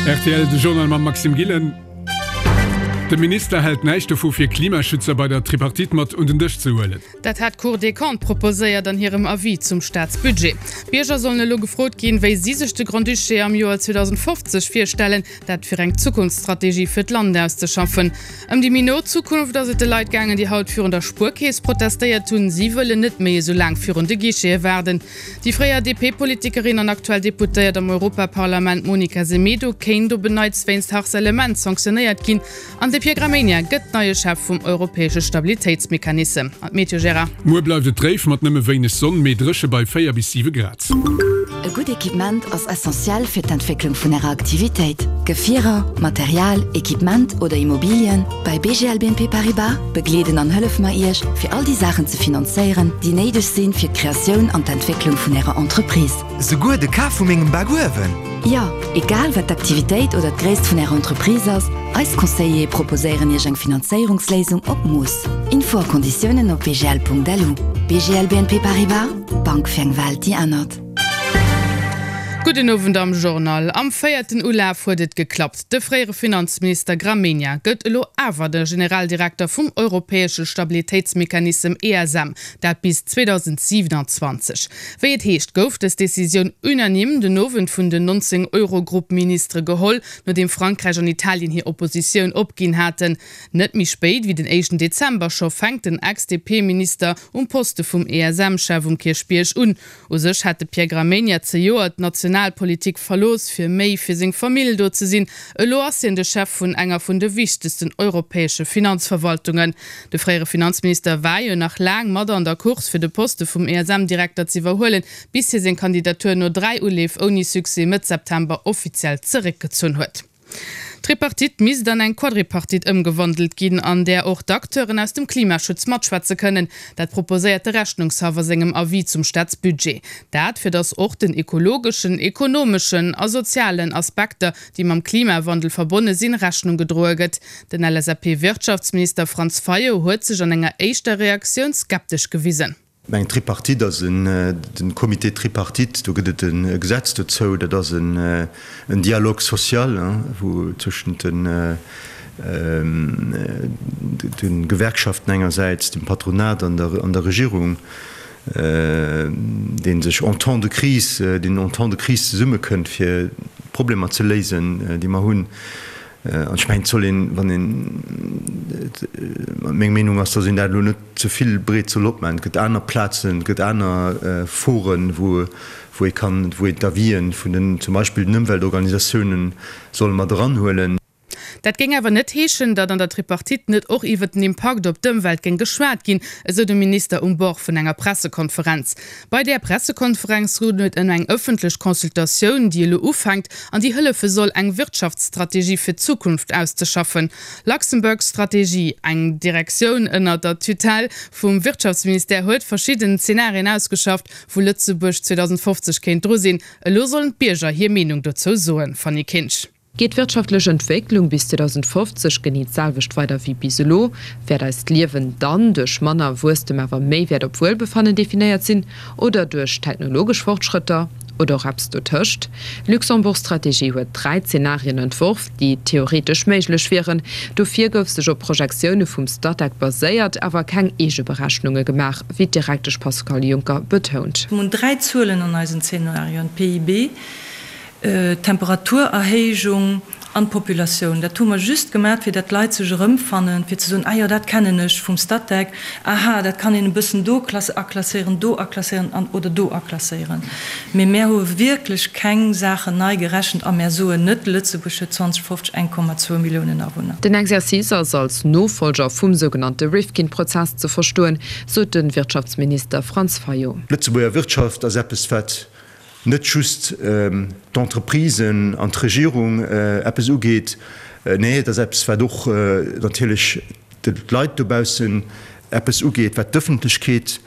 Rtl, de Journal mam Maxime Gillen. De Minister hält näischt dovu fir Klimaschützer bei der Tripartite mat un den Dësch ze huelen. Dat hat d'Cour des Comptes proposéiert an hirem Avis zum Staatsbudget. D'Bierger sollen elo gefrot ginn, wéi si sech de Grand-Duché am Joer 2050 virstellen. Dat fir eng Zukunftsstrategie fir d'Land auszeschaffen. Ëm déi méi no Zukunft ass et de Leit gaangen, déi haut virun der Spuerkeess protestéiert hunn. Si wëllen net méi esou laang virun de Guichete waarden. Déi fréier DP-Politikerin an aktuell Deputéiert am Europaparlament Monica Semedo kéint op en Neits wéinst Harcèlement sanktionéiert ginn. An de Pierre Gramegna gëtt neie Chef vum europäesche Stabilitéitsmechanissem. An d'Meteo, Gérard? Muer bleift et dréif mat nëmme wéineg Sonn, mee dréche bei 4 bis 7 Grad. E gutt Equipement ass essentiell fir d'Entwécklung vun Ärer Aktivitéit. Gefierer, Material, Equipement oder Immobilien, bei BGL BNP Paribas begleeden an hëllefe mer Iech, fir all déi Saachen ze finanzéieren, déi néideg sinn fir d'Kreatioun an d'Entwécklung vun Ärer Entreprise. Souguer de Kaf vu mengem Bakuewen? Jo, egal wat d'Aktivitéit oder d'Gréisst vun Ärer Entreprise ass, eis Conseillere proposéieren Iech eng Finanzéierungsléisung op Mooss. Info a Konditiounen op bgl.lu. BGL BNP Paribas, D'Bank fir eng Welt déi ännert. Gudden Owend am Journal. Am véierten Ulaf huet et geklappt. De fréiere Finanzminister Gramegna gëtt elo awer de Generaldirekter vum europäesche Stabilitéitsmechanissem ESM, dat bis 2027. Wéi et heescht, gouf dës Decisioun unanime den Owend vun den 19 Eurogrupp-Ministere geholl, nodeem Frankräich an Italien hir Oppositioun opginn haten. Net méi spéit wéi den éischten Dezember scho fänkt den Ex-DP-Minister um Poste vum ESM-Chef um Kierchbierg un. U sech hat de Pierre Gramegna zejoert d'Nationalpolitik verlooss, fir méi fir seng Famill do ze sinn. Elo ass hien de Chef vun enger vun de wichtegsten europäesche Finanzverwaltungen. De fréiere Finanzminister war jo nach laang mat an der Course, fir de Poste vum ESM-Direkter z'iwwerhuelen, bis hie seng Kandidatur no 3 Uleef ouni Succès Mëtt September offiziell zeréckgezunn huet. D'Tripartite misst an eng Quadripartite ëmgewandelt ginn, an där och d'Acteuren aus dem Klimaschutz matschwätze kënnen. Dat proposéiert de Rechnungshaff a sengem Avis zum Staatsbudget. Dat, fir datt och den ekologeschen, ekonomeschen a sozialen Aspekter, déi mam Klimawandel verbonne sinn, Rechnung gedroe gëtt. Den LSAP-Wirtschaftsminister Franz Fayot huet sech an enger éischter Reaktioun skeptesch gewisen. Eng Tripartite ass en, den Comité tripartite, do gëtt et e Gesetz dozou, dat ass en Dialogue social, wou tëschent de Gewerkschaften engersäits, dem Patronat an der Regierung, dee sech en temps de crise, deen en temps de crise zesummekënnt, fir d'Problemer ze léisen, déi mer hunn. An ech mengen, et soll een, wann een, meng Meenung ass, datt een dat elo net ze vill breet soll opmaachen. Et gëtt aner Plazen, et gëtt aner Foren, wou wou ee kann, wou een d'Avisen vun den, zum Beispill den Ëmweltorganisatiounen soll mat eranhuelen. Dat géing awer net heeschen, datt an der Tripartite net och iwwer den Impakt op d'Ëmwelt géing geschwat ginn, esou de Minister um Bord vun enger Pressekonferenz. Bei där Pressekonferenz goung et ëm eng ëffentlech Consultatioun, déi elo ufänkt an déi hëllefe soll, eng Wirtschaftsstrategie fir d'Zukunft auszeschaffen. Luxembourg Strategie, eng Direktioun ënner der Tutelle vum Wirtschaftsministère, huet verschidden Zenarien ausgeschafft, wou Lëtzebuerg 2050 kéint dru sinn. Elo sollen d'Bierger hir Meenung dozou soen. Fanny Kinsch. Geet d'wirtschaftlech Entwécklung bis 2050 genee d'selwecht weider wéi bis elo, wäert eist Liewen dann duerch manner Wuesstem awer méi Wäert op Wuelbefannen definéiert sinn oder duerch technologesch Fortschrëtter oder och eppes dotëscht? D'Luxembourg Strategie huet 3 Zenarien entworf, déi theoretesch méiglech wieren. Dofir gouf sech op Projektioune vum Statec baséiert, awer keng eege Berechnunge gemaach, wéi d'Direktesch Pascale Juncker betount. Mir hunn 3 Zuelen an eisen Zenarioen, d'PIB, D'Temperaturerhéijung an d'Populatioun. Dat hu mer just gemat, fir dat d'Leit sech erëmfannen, fir ze soen, ah jo, dat kennen ech vum Statec, aha, dat kann een e bëssen do aklasséieren, do aklasséieren an oder do aklasséieren. Mee mär hu wierklech keng Saachen nei gerechent a mär soen net, Lëtzebuerg huet 2050 1,2 Milliounen Awunner. Den Exercice ass als Nofollger vum sougenannte Rifkin-Prozess ze verstoen, sot de Wirtschaftsminister Franz Fayot. D'Lëtzebuerger Wirtschaft ass eppes, wat net just d'Entreprisen an d'Regierung eppes ugeet, nee, et ass eppes, wat och natierlech d'Leit dobaussen eppes ugeet, wat d'Ëffentlechkeet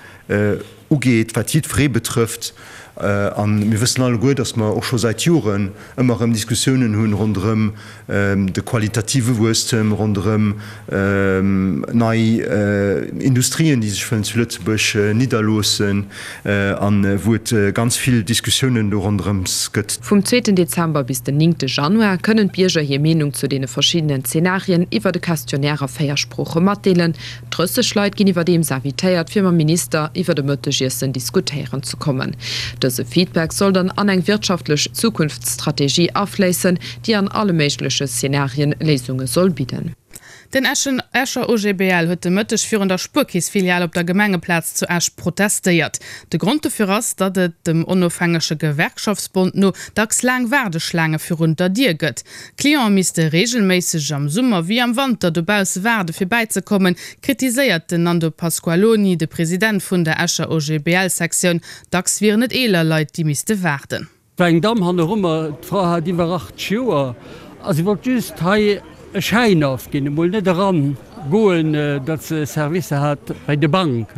ugeet, wat jiddweree betrëfft. A mir wëssen alleguer, datt mer och scho säit Joren ëmmer erëm Diskussiounen hunn ronderëm de qualitative Wuesstem, ronderëm nei Industrien, déi sech wëllen zu Lëtzebuerg nidderloossen a wou et ganz vill Diskussiounen do ronderëms gëtt. Vum zweeten Dezember bis den néngte Januar kënnen d'Bierger hir Meenung zu deene verschiddenen Zenarien iwwert e Questionnaire a 4 Sprooche matdeelen. 30 Leit ginn iwwerdeems invitéiert, fir mam Minister iwwert e Mëttegiessen diskutéieren ze kommen. Dëse Feedback soll dann an eng wirtschaftlech Zukunftsstrategie afléissen, déi an alle méigleche Szenarien Léisunge soll bidden. Den Escher OGBL huet de Mëtteg virun der Spuerkeess-Filial op der Gemengeplaz zu Esch protestéiert. De Grond dofir ass, datt et, dem onofhängege Gewerkschaftsbond no, dacks laang Waardeschlaange virun der Dier gëtt. D'Cliente misste reegelméisseg am Summer wéi am Wanter dobausse waarde fir bäizekommen, kritiséiert den Nando Pasqualoni, de President vun der Escher OGBL-Sektioun. Dacks wieren et eeler Leit, déi misste waarden. War eng Damm hannerummer, d'Fra hat iwwer 80 Joer a si wollt just hei e Schäin ofginn, emol net eran goen, datt se Servicer hat bei de Bank.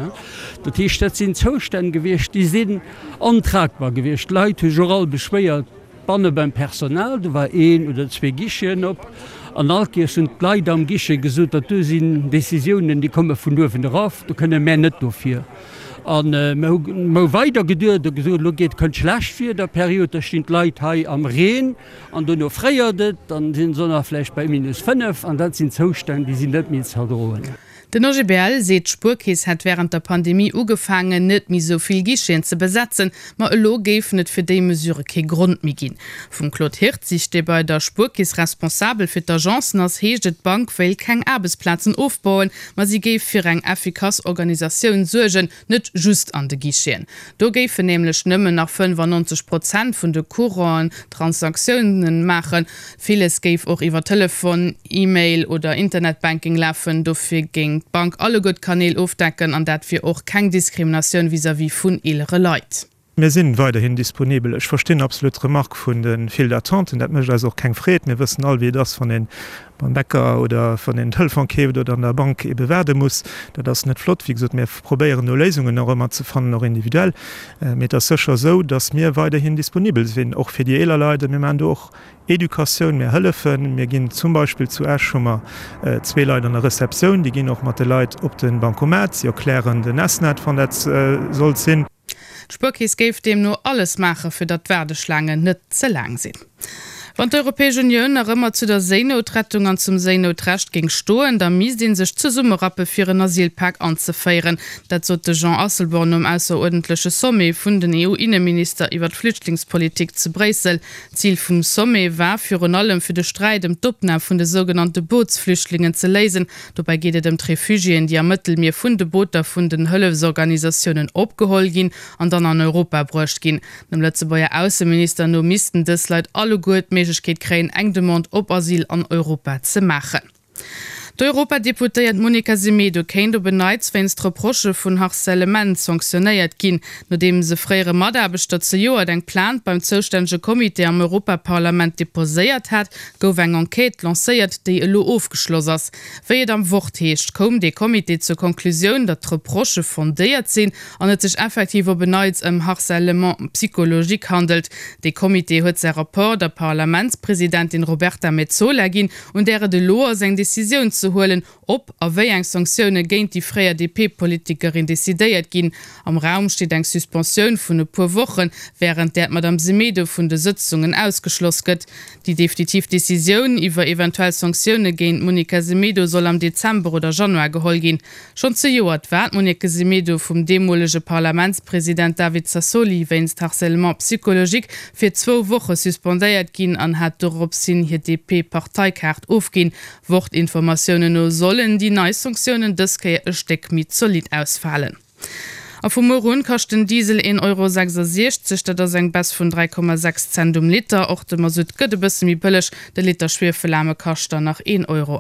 Dat heescht, dat sinn Zoustänn gewiescht, déi sinn ontragbar gewiescht. D'Leit hu sech och all beschwéiert. Banne beim Personal, do war een oder zwee Guicheten op, an all Kéiers hunn d'Leit am Guichet gesot, dat do sinn Décisiounen, déi komme vun uewen erof, do kënne mär net dofir. A mer hu weider geduet a gesot, elo geet, kënnt Schlechtwiederperiod, da stinn d'Leit hei am Reen an dono fréiert et, dann si se nach vläicht bei minus 5 an dat sinn Zoustänn, déi sinn net méi ze erdroen. Den OGBL seet, d'Spuerkeess hätt wärend der Pandemie ugefaangen, net méi sou vill Guicheten ze besetzen, ma elo géifen et fir déi Mesure kee Grond méi ginn. Vum Claude Hirtzig, dee bei der Spuerkeess responsabel fir d'Agencen ass, heescht et, d'Bank wéilt keng Aarbechtsplazen ofbauen, ma si géif fir eng effikass Organisatioun suergen, Net just an de Guicheten. Do géifen nämlech nëmmen nach 95 Prozent vun de Courant'en Transaktiounen maachen. Villes géif och iwwer Telefon, E-Mail oder Internetbanking lafen. Dofir géing d'Bank alleguer d'Kanäl ofdecken an dat wier och keng Diskriminatioun vis-à-vis vun eelere Leit. Mir sinn weiderhin disponibel. Ech verstinn absolut d'Remarque vun de Files d'attenten. Dat mécht eis och keng Freed. Mir wëssen all, wéi et ass, wann ee beim Bäcker oder wann een den Telefon keeft oder an der Bank ebe waarde muss. Dat ass net flott. Wéi gesot, mir probéieren do Léisungen och ëmmer ze fannen, och individuell. Mee et ass sécher esou, datt mir weiderhin disponibel sinn, och fir déi eeler Leit. A mir maachen do och Educatioun, mir hëllefen, mir ginn zum Beispill zu Esch hu mer zwee Leit an der Receptioun, déi ginn och mat de Leit op de Bancomat, si erklären den S-Net, wann dat sollt sinn. D'Spuerkeess géif deemno alles maache fir datt d'Waardeschlaangen net ze laang sinn. Wann d'Europäesch Unioun nach ëmmer zu der Séinoutrettung an zum Séinoutrecht géing stoen, da misst ee sech zesummerappe fir en Asylpak anzeféieren. Dat sot de Jean Asselborn nom ausseruerdentleche Sommet vun den EU-Inneminister iwwer d'Flüchtlingspolitik zu Bréissel. Zil vum Sommet war virun allem fir de Sträit ëm d'Opnam vun de sougenannte Bootsflüchtlingen ze léisen. Dobäi geet et ëm d'Refugiéen, déi am Mëttelmier vun de Booter vun den Hëllefsorganisatiounen opgeholl ginn an dann an Europa bruecht ginn. Dem Lëtzebuerger Ausseminister no missten dës Leit alleguer d'Méiglechkeet kréien, eng Demande op Asyl an Europa ze maachen. D'Europadeputéiert Monica Semedo kéint op en Neits wéinst Reprochë vun Harcèlement sanktionéiert ginn, nodeems e fréiere Mataarbechter zejoert eng Plainte beim zoustännege Comité am Europaparlament deposéiert hat, gouf eng Enquête lancéiert, déi elo ofgeschloss ass. Wéi et am Wort heescht, koum dee Comité zur Konklusioun, datt d'Reprochë fondéiert sinn an et sech effektiv op en Neits ëm Harcèlement psychologique handelt. Dee Comité huet säi Rapport der Parlamentspresidentin Roberta Metsola ginn, un där et elo ass, eng Decisioun ze huelen, ob a wéi eng Sanktioune géint déi fréier DP-Politikerin decidéiert ginn. Am Raum steet eng Suspensioun vun e puer Wochen, wärend där d'Madame Semedo vun de Sëtzungen ausgeschloss gëtt. Déi definitiv Decisioun iwwer eventuell Sanktioune géint d'Monica Semedo soll am Dezember oder Januar geholl ginn. Schonn zejoert war d'Monique Semedo vum deemolege Parlamentspresident David Sassoli wéinst Harcèlement psychologique fir zwou Woche suspendéiert ginn an hat doropshin hir DP-Parteikaart ofginn. Wort-Informatiounen no sollen déi nei Sanktiounen dës Kéier e Stéck méi zolidd ausfalen. A vu muer un kascht den Diesel 1,66 Euro, dat ass eng Baisse vun 3,6 Cent um Liter. Och de Masutt gëtt e bësse méi bëlleg, de Liter Schwiefelaarme kascht dann nach 1,09 Euro.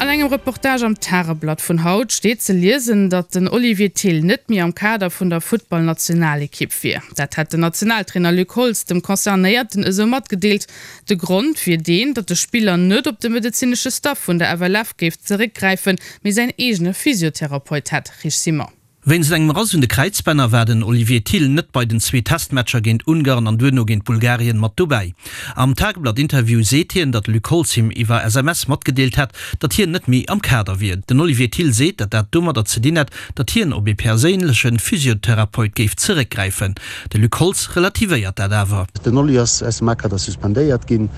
An engem Reportage am Tageblatt vun haut steet ze liesen, datt den Olivier Thill net méi am Kader vun der Futtballnationalekipp wier. Dat hätt den Nationaltrainer Luc Holtz dem Concernéierten esou matgedeelt. De Grond wier deen, datt de Spiller net op de medezinesche Staff vun der FLF géif zeréckgräifen, mee säin eegene Physiotherapeut hätt. Rich Simon. Wéinst engem Rass un de Kräizbänner war den Olivier Thill net bei den zwee Testmatcher géint Ungarn an duerno géint Bulgarien mat dobäi. Am Tageblatt-Interview seet hien, datt de Luc Holtz him iwwer SMS matgedeelt hätt, datt hien net méi am Kader wier. Den Olivier Thill seet, datt dat domadder ze dinn hätt, datt hien op ee perséinleche Physiotherapeut géif zeréckgräifen. De Luc Holtz relativéiert dat awer. Den Oli ass aus dem A-Kader suspendéiert ginn.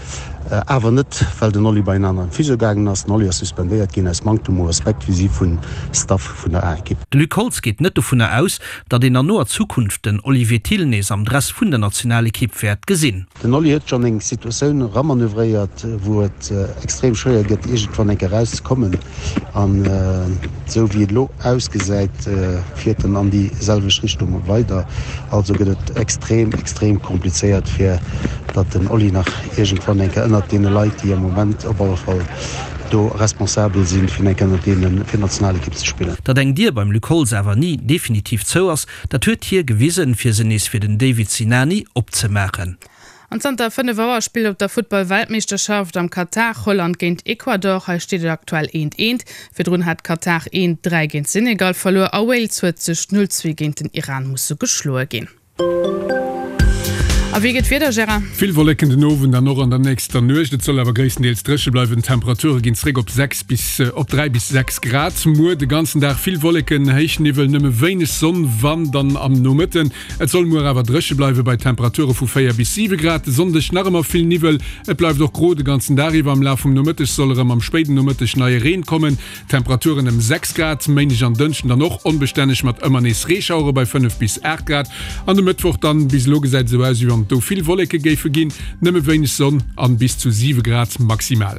Awer net, well den Oli bei en aneren Physio gaangen ass. Den Oli ass suspendéiert ginn aus Manktem u Respekt vis-à-vis vum Staff vun der A-Ekipp. De Luc Holtz geet net dovunner aus, datt een an noer Zukunft den Olivier Thill nees am Dress vun der Nationalekipp wäert gesinn. Den Oli huet schonn eng Situatioun eramanövréiert, wou et extrem schwéier gëtt, iergendwann eng Kéier erauszekommen. An esou wéi et elo ausgesäit, fiert en an déi selwecht Richtung weider. Also gëtt et extrem, extrem komplizéiert, fir datt den Oli nach iergendwann eng Kéier ënnert deene Leit, déi am Moment op alle Fall do responsabel sinn, fir eng Kéier ënnert deene fir d'Nationalekipp ze spillen. Datt eng Dier beim Luc Holtz awer ni definitiv zou ass, dat huet hie gewisen, fir se nees fir den David Sinani opzemaachen. An zanter 5 Auer spillt op der Futtball-Weltmeeschterschaft am Katar Holland géint Ecuador. Hei steet et aktuell eent eent. Virdrun hat Katar eent 3 géint Senegal verluer a Wales huet sech 0 2 géint den Iran musse geschloe ginn. A wéi gëtt d'Wieder, Gérard? Vill Wolleken den Owend an och an der nächster Nuecht. Et soll awer gréisstendeels dréche bleiwen. D'Temperature ginn zréck op 6 bis op 3 bis 6 Grad. Muer de ganzen Dag vill Wolleken, héich Niwwel, nëmme wéineg Sonn, wann dann am Nomëtten. Et soll muer awer dréche bleiwe bei Temperature vu 4 bis 7 Grad. De Sonndeg nach ëmmer vill Niwwel, et bleift och gro de ganzen Dag iwwer. Am Laf vum Nomëtteg soll erëm am spéiden Nomëtteg neie Reen kommen, Temperaturen ëm 6 Grad. Méindeg an Dënschden dann och onbestänneg mat ëmmer nees Reeschauere bei 5 bis 8 Grad. An de Mëttwoch dann, bis elo gesäit esou aus, wéi wann et do vill Wolleke géife ginn, nëmme wéineg Sonn an bis zu 7 Grad maximal.